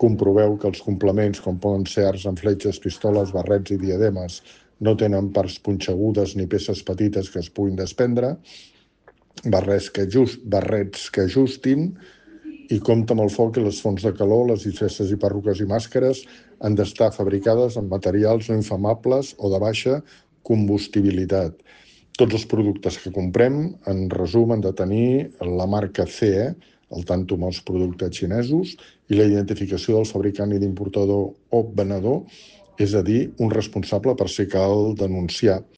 Comproveu que els complements, com poden ser arcs amb fletxes, pistoles, barrets i diademes, no tenen parts punxegudes ni peces petites que es puguin desprendre, barrets que ajustin, i compta amb el foc i les fonts de calor. Les disfresses i perruques i màscares han d'estar fabricades amb materials no inflamables o de baixa combustibilitat. Tots els productes que comprem, en resum, han de tenir la marca CE, al tanto amb els productes xinesos, i la identificació del fabricant i d'importador o venedor, és a dir, un responsable per si cal denunciar.